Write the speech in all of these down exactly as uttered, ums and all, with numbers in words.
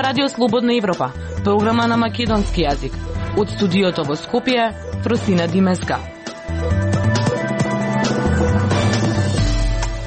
ова Радио Слободна Европа, програма на македонски јазик. Од студиото во Скопје, Просина Димеска.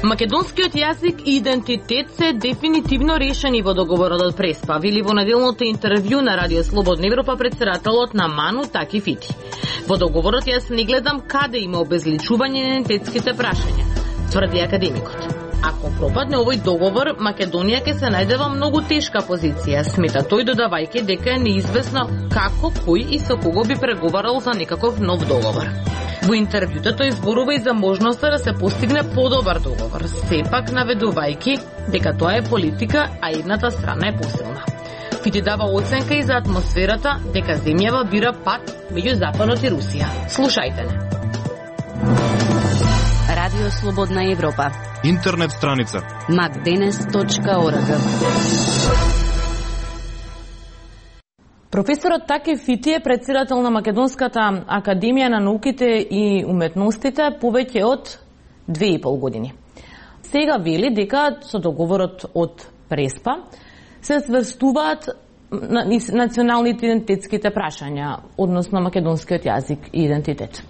Македонскиот јазик и идентитет се дефинитивно решени во договорот од Преспа, вели во неделното интервју на Радио Слободна Европа председателот на МАНУ Таки Фити. Во договорот јас не гледам каде има обезличување на идентитетските прашања, тврди академикот. Ако пропадне овој договор, Македонија ќе се најде во многу тешка позиција, смета тој, додавајќи дека е неизвестно како, кој и со кого би преговарал за некаков нов договор. Во интервјуто тој зборува и за можноста да се постигне подобар договор, сепак наведувајќи дека тоа е политика, а едната страна е посилна. Фити дава оценка и за атмосферата дека земјава бира пат меѓу Западот и Русија. Слушајте не. Радио Слободна Европа. Интернет страница макденес точка орг. Професорот Таки Фити е председател на Македонската академија на науките и уметностите повеќе од две и пол години. Сега вели дека со договорот од Преспа се сврстуваат националните идентитетските прашања, односно македонскиот јазик и идентитет.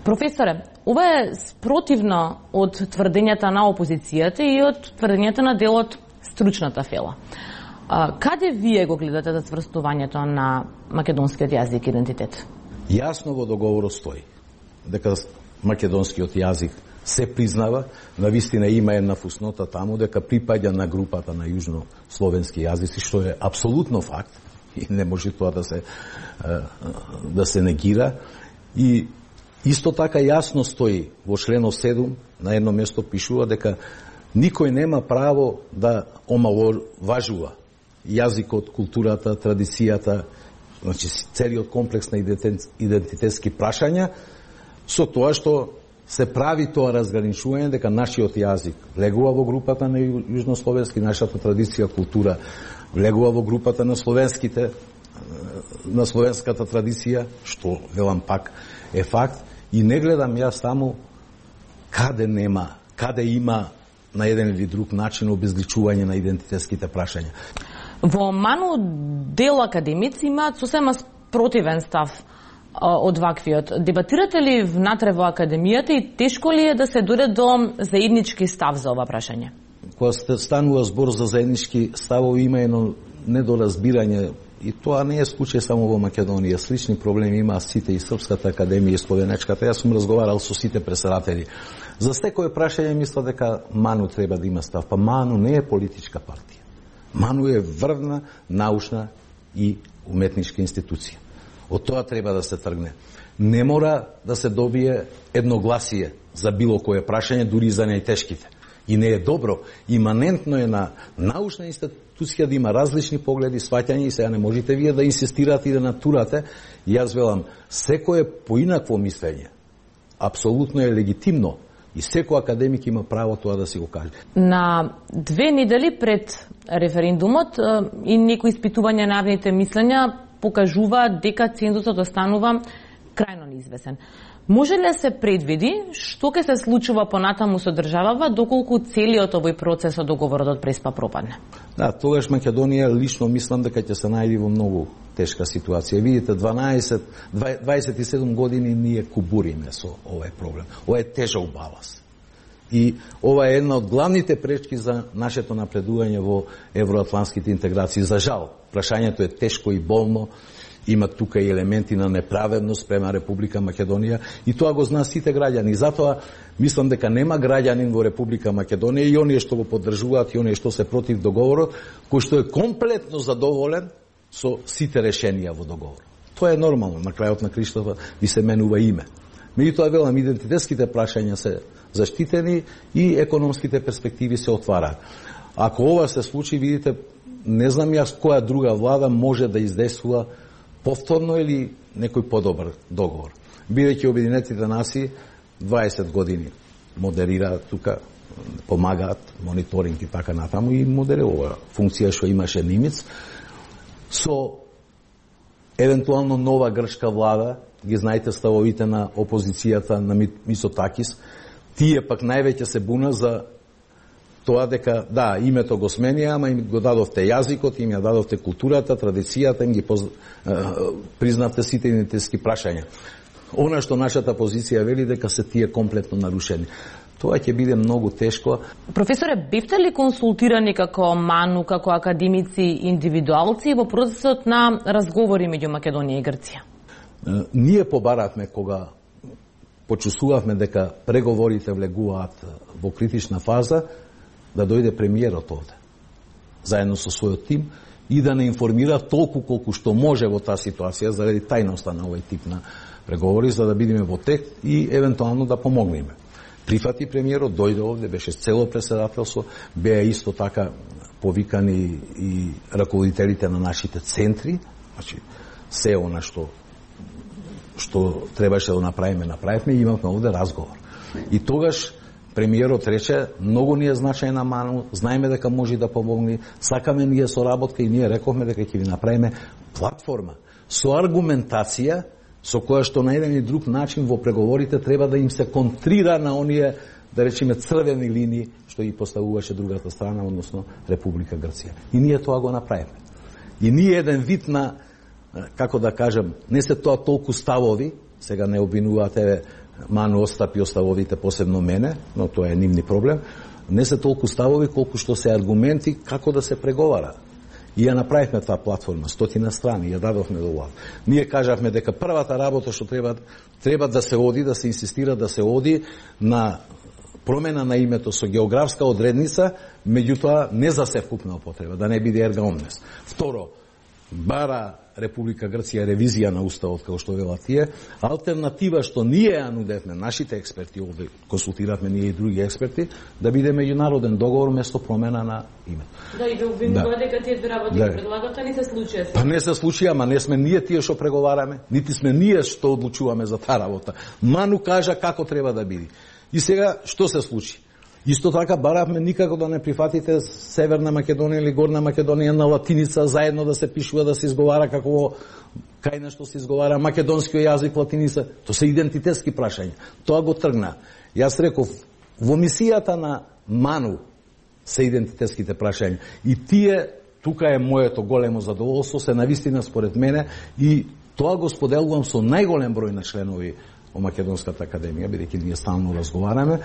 Професоре, ова е спротивно од тврдењата на опозицијата и од тврдењата на дел од стручната фела. А, каде вие го гледате за сврстувањето на македонскиот јазик и идентитет? Јасно во договорот стои дека македонскиот јазик се признава, навистина има една фуснота таму дека припаѓа на групата на јужнословенски јазици, што е апсолутно факт и не може тоа да се да се негира. И исто така јасно стои во членот седум, на едно место пишува дека никој нема право да омаловажува јазикот, културата, традицијата, значи целиот комплекс на идентитетски прашања, со тоа што се прави тоа разграничување дека нашиот јазик влегува во групата на јужнословенски, нашата традиција, култура влегува во групата на словенските, на словенската традиција, што велам пак е факт. И не гледам јас таму каде нема, каде има на еден или друг начин обезличување на идентитетските прашања. Во МАНУ дел академици имаат сосема спротивен став од ваквиот. Дебатирате ли внатре во академијата и тешко ли е да се дојде до заеднички став за ова прашање? Кога станува збор за заеднички ставови, има едно недоразбирање. И тоа не е случај само во Македонија. Слични проблеми има сите и Српската академија и Словенечката. Јас сум разговарал со сите председатели. За секое прашање мисла дека МАНУ треба да има став. Па МАНУ не е политичка партија. МАНУ е врвна, научна и уметничка институција. Од тоа треба да се тргне. Не мора да се добие едногласие за било кое прашање, дури за најтешките. И не е добро. Иманентно е на научна институција да има различни погледи, сваќања и сега не можете вие да инсистирате и да натурате. И јас велам, секое поинакво мислење апсолутно е легитимно и секој академик има право тоа да си го каже. На две недели пред референдумот и некои испитувања на јавните мислења покажува дека цензусот останува крајно неизвесен. Може ли да се предвиди што ќе се случува понатаму со државава доколку целиот овој процес од договорот од Преспа пропадне? Да, тогаш Македонија лично мислам дека ќе се најде во многу тешка ситуација. Видите, дванаесет, дваесет и седум години ние кубуриме со овој проблем. Ова е тежок балас. И ова е една од главните пречки за нашето напредување во евроатлантските интеграции. За жал, прашањето е тешко и болно. Има тука и елементи на неправедност према Република Македонија и тоа го знаат сите граѓани. Затоа мислам дека нема граѓанин во Република Македонија и оние што го поддржуваат и оние што се против договорот, кој што е комплетно задоволен со сите решенија во договорот. Тоа е нормално, на крајот на криштата ви се менува име. Меѓутоа велам, идентитетските прашања се заштитени и економските перспективи се отвараат. Ако ова се случи, видите, не знам јас која друга влада може да издействува повторно или некој подобар договор. Бидејќи Обединетите нации дваесет години модерираат тука, помагаат, мониторинг и така натаму и модерира функција што имаше Нимец. Со евентуално нова грчка влада, ги знаете ставовите на опозицијата на Мицотакис, тие пак највеќе се буна за тоа дека, да, името го сменија, ама им го дадовте јазикот, им ја дадовте културата, традицијата, им ги поз... признавте сите идентитетски прашања. Она што нашата позиција вели дека се тие комплетно нарушени. Тоа ќе биде многу тешко. Професоре, бевте ли консултирани како МАНУ, како академици, индивидуалци во процесот на разговори меѓу Македонија и Грција? Ние побаравме кога почувствувавме дека преговорите влегуваат во критична фаза, да дојде премиерот овде, заедно со својот тим, и да не информира толку колку што може во таа ситуација, заради тајноста на овој тип на преговори, за да бидеме во тек и евентуално да помогнеме. Прифати премиерот, дојде овде, беше цело председателство, беа исто така повикани и раководителите на нашите центри, значи се она што што требаше да направиме, направивме и имавме овде разговор. И тогаш премиерот рече, многу ни е значајна МАНУ, знаеме дека може да помогне, сакаме ние соработка и ние рековме дека ќе ви направиме платформа со аргументација со која што на еден и друг начин во преговорите треба да им се контрира на оние, да речеме, црвени линии што ги поставуваше другата страна, односно Република Грција. И ние тоа го направиме. И ние еден вид на, како да кажем, не се тоа толку ставови, сега не обвинувате МАНУ Остап и оставовите, посебно мене, но тоа е нивни проблем, не се толку ставови колку што се аргументи како да се преговара. И ја направивме таа платформа, стотина страни, ја дадовме до влад. Ние кажавме дека првата работа што треба, треба да се оди, да се инсистира да се оди на промена на името со географска одредница, меѓутоа не за севкупна употреба, да не биде ерга омнес. Второ, бара Република Грција ревизија на уставот, како што велат тие. Алтернатива што ние ја нудевме, нашите експерти овде, консултиравме ние и други експерти, да биде меѓународен договор место промена на името. Да, и да обвинува дека тие две работи да предлагат, а не се случија. Па не се случија, ама не сме ние тие што преговараме, нити сме ние што одлучуваме за таа работа. МАНУ кажа како треба да биде. И сега што се случи? Исто така баравме никако да не прифатите Северна Македонија или Горна Македонија на латиница, заедно да се пишува, да се изговара како кај нешто се изговара македонскиот јазик латиница. Тоа се идентитетски прашања. Тоа го тргна. Јас реков, во мисијата на МАНУ се идентитетските прашања. И тие, тука е моето големо задоволство, се навистина според мене и тоа го споделувам со најголем број на членови во Македонската академија, бидејќи ние стално разговараме.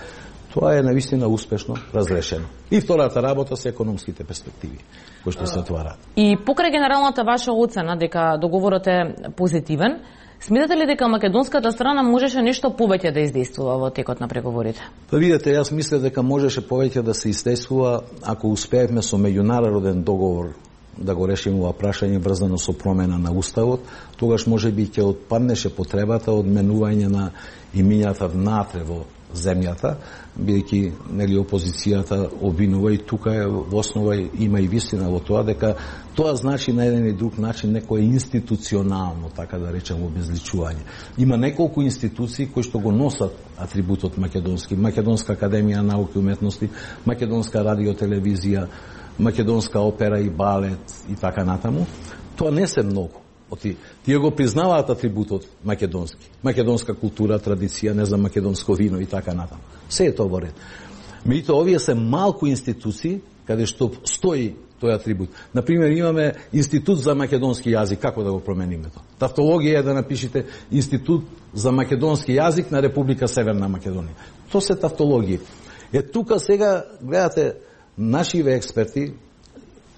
Тоа е навистина успешно разрешено. И втората работа се економските перспективи кои што се отвараат. И покрај генералната ваша оцена дека договорот е позитивен, сметате ли дека македонската страна можеше нешто повеќе да издействува во текот на преговорите? Па видете, јас мислев дека можеше повеќе да се издействува ако успеевме со меѓународен договор да го решиме ова прашање врзано со промена на уставот, тогаш можеби ќе отпаднеше потребата од менување на имињата внатре во земјата, бидејќи нели опозицијата обвинува и тука е во основа има и вистина во тоа дека тоа значи на еден и друг начин некое институционално, така да речем, обезличување. Има неколку институции кои што го носат атрибутот македонски, Македонска академија науки и уметности, Македонска радиотелевизија, Македонска опера и балет и така натаму. Тоа не се многу. Оти, тие го признаваат атрибутот македонски. Македонска култура, традиција, не знам, македонско вино и така натаму. Се е тоа во ред. Меѓутоа, овие се малку институции каде што стои тој атрибут. Например, имаме Институт за македонски јазик, како да го промениме тоа? Тавтологија е да напишете Институт за македонски јазик на Република Северна Македонија. Тоа се тавтологија. Е, тука сега, гледате, нашиве експерти,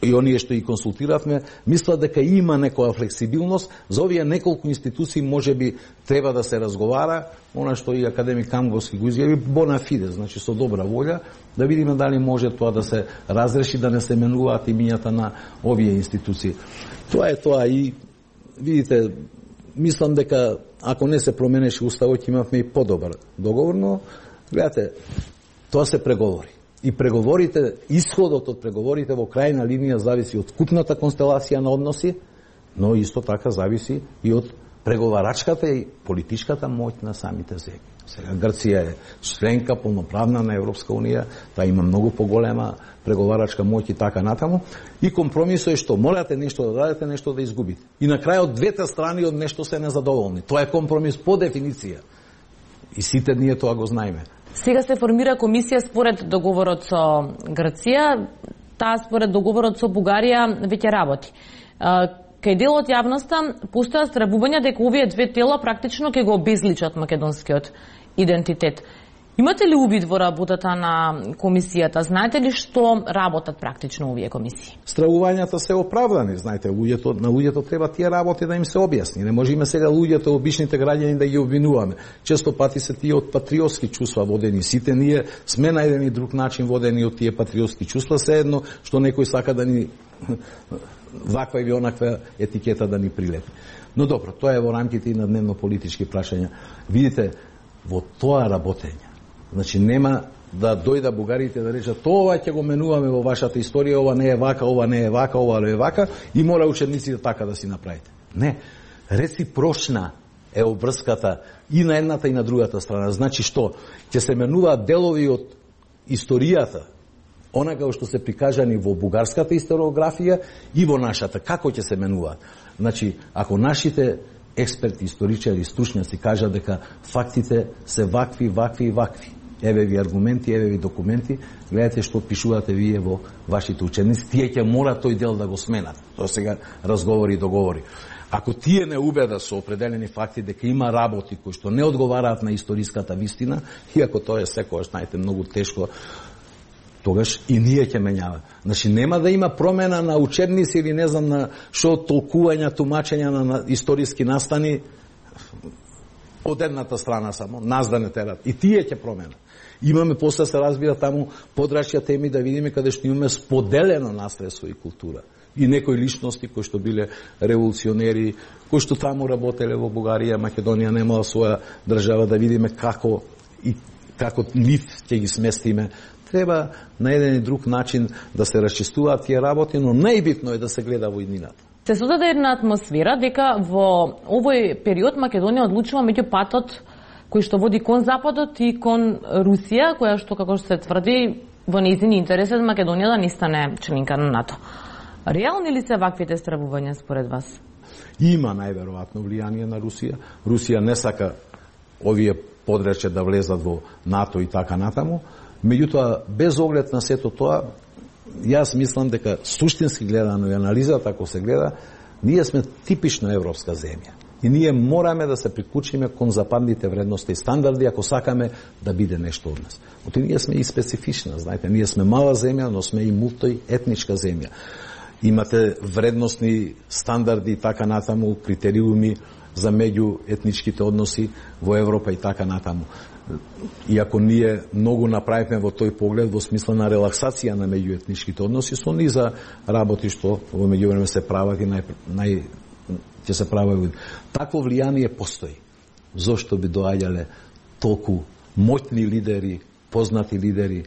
и оние што и консултиравме, мислат дека има некоја флексибилност, за овие неколку институции можеби треба да се разговара, она што и академик Камговски го изјави, бона фиде, значи со добра волја, да видиме дали може тоа да се разреши, да не се менуваат имињата на овие институции. Тоа е тоа и, видите, мислам дека ако не се променеше уставот, имавме и подобар договор, но, гледате, тоа се преговори. И преговорите, исходот од преговорите во крајна линија зависи од купната констелација на односи, но исто така зависи и од преговарачката и политичката моќ на самите земји. Сега Грција е членка полноправна на Европска унија, таа има многу поголема преговарачка моќ и така натаму, и компромисот е што морате нешто да дадете, нешто да изгубите. И на крајот двете страни од нешто се незадоволни. Тоа е компромис по дефиниција. И сите ние тоа го знаеме. Сега се формира комисија според договорот со Грција, таа според договорот со Бугарија веќе работи. Кај дел од јавноста постојат стравувања дека овие две тела практично ќе го обезличат македонскиот идентитет. Имате ли увид во работата на комисијата? Знаете ли што работат практично овие комисии? Стравувањата се оправдани, знаете, луѓето, на луѓето треба тие работи да им се објасни. Не можеме сега луѓето, обичните граѓани да ги обвинуваме. Често пати се тие од патриотски чувства водени. Сите ние сме на еден и друг начин водени од тие патриотски чувства, се едно што некој сака да ни ваква или онаква етикета да ни прилепи. Но добро, тоа е во рамките и на дневно политички прашања. Видите, во тоа работење, значи нема да дојда бугарите да речат тоа ќе го менуваме во вашата историја, ова не е вака, ова не е вака, ова не е вака и мора учениците така да си направите. Не, реципрочна е обврската и на едната и на другата страна. Значи што? Ќе се менуваат делови од историјата, онака што се прикажани во бугарската историографија и во нашата. Како ќе се менуваат? Значи, ако нашите експерти, историчари, стручњаци кажат дека фактите се вакви, вакви и вакви, еве ви аргументи, еве ви документи, гледате што пишувате вие во вашите ученици, тие ќе мора тој дел да го сменат. Тоа сега разговори и договори. Ако тие не убедат со определени факти дека има работи кои што не одговараат на историската вистина, иако тоа е секогаш, знаете, многу тешко, тогаш и ние ќе менјава. Значи нема да има промена на учебници или не знам на што толкувања, тумачења на, на историски настани од едната страна само, нас да не терат. И тие ќе променат. Имаме после се разбира таму подрачја теми да видиме каде што имаме споделено наследство и култура. И некои личности кои што биле револуционери, кои што таму работеле во Бугарија, Македонија немала своја држава, да видиме како и како нив ќе ги сместиме. Треба на еден и друг начин да се расчистуваат тие работи, но најбитно е да се гледа во иднината. Се создаде една атмосфера дека во овој период Македонија одлучува меѓу патот кој што води кон Западот и кон Русија, која што, како што се тврди, во нејзин интерес е Македонија да не стане членка на НАТО. Реални ли се ваквите стравувања според вас? Има најверојатно влијание на Русија. Русија не сака овие подрече да влезат во НАТО и така натаму. Меѓутоа, без оглед на сето тоа, јас мислам дека суштински гледано и анализата, ако се гледа, ние сме типично европска земја. И ние мораме да се приклучиме кон западните вредности и стандарди, ако сакаме да биде нешто од нас. Оти ние сме и специфична, знаете, ние сме мала земја, но сме и мултиетничка земја. Имате вредностни стандарди и така натаму, критериуми за меѓуетничките односи во Европа и така натаму. Иако ние многу направивме во тој поглед во смисла на релаксација на меѓуетничките односи, со низа работи што во меѓувреме се прават и нај, нај ќе се прават. Такво влијание постои. Зошто би доаѓале толку моќни лидери, познати лидери,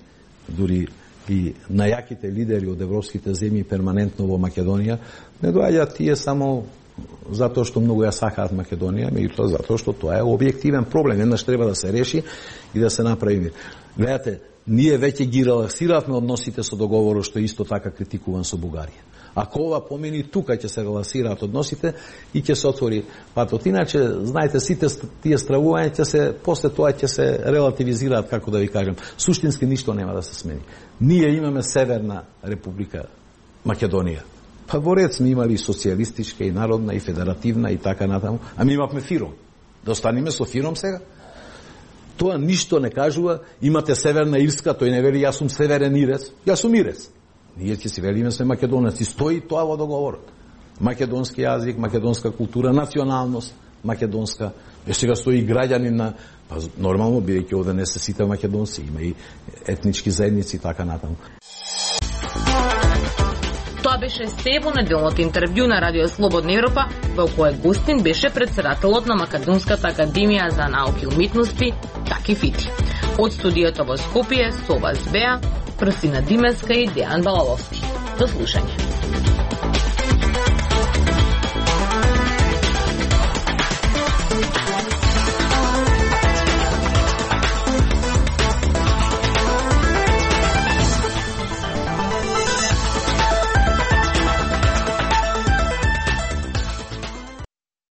дури и најаките лидери од европските земји перманентно во Македонија, не доаѓаат тие само затоа што многу ја сакаат Македонија, меѓутоа затоа што тоа е објективен проблем. Еднаш треба да се реши и да се направи мир. Гледате, ние веќе ги релаксиравме односите со договорот што исто така критикуван со Бугарија. Ако ова помени, тука ќе се релаксираат односите и ќе се отвори патот. Иначе, знаете, сите тие стравувања ќе се, после тоа ќе се релативизираат, како да ви кажам. Суштински ништо нема да се смени. Ние имаме Северна Република Македонија. Па во ред сме имали социјалистичка и народна и федеративна и така натаму, а ми имавме Фиром. Да останеме со Фиром сега? Тоа ништо не кажува. Имате Северна Ирска, тој не вели јас сум северен ирец, јас сум ирец. Ние ќе си велиме сме македонеци. Стои тоа во договорот. Македонски јазик, македонска култура, националност македонска. Е сега стои граѓанин на, па нормално бидејќи овде не се сите македонци, има и етнички заедници и така натаму. Тоа беше се во неделното интервју на Радио Слободна Европа, во кој гостин беше председателот на Македонската академија за науки и уметности Таки Фити. Од студиото во Скопје со вас беа Прсина Димеска и Дејан Балаловски. До слушање.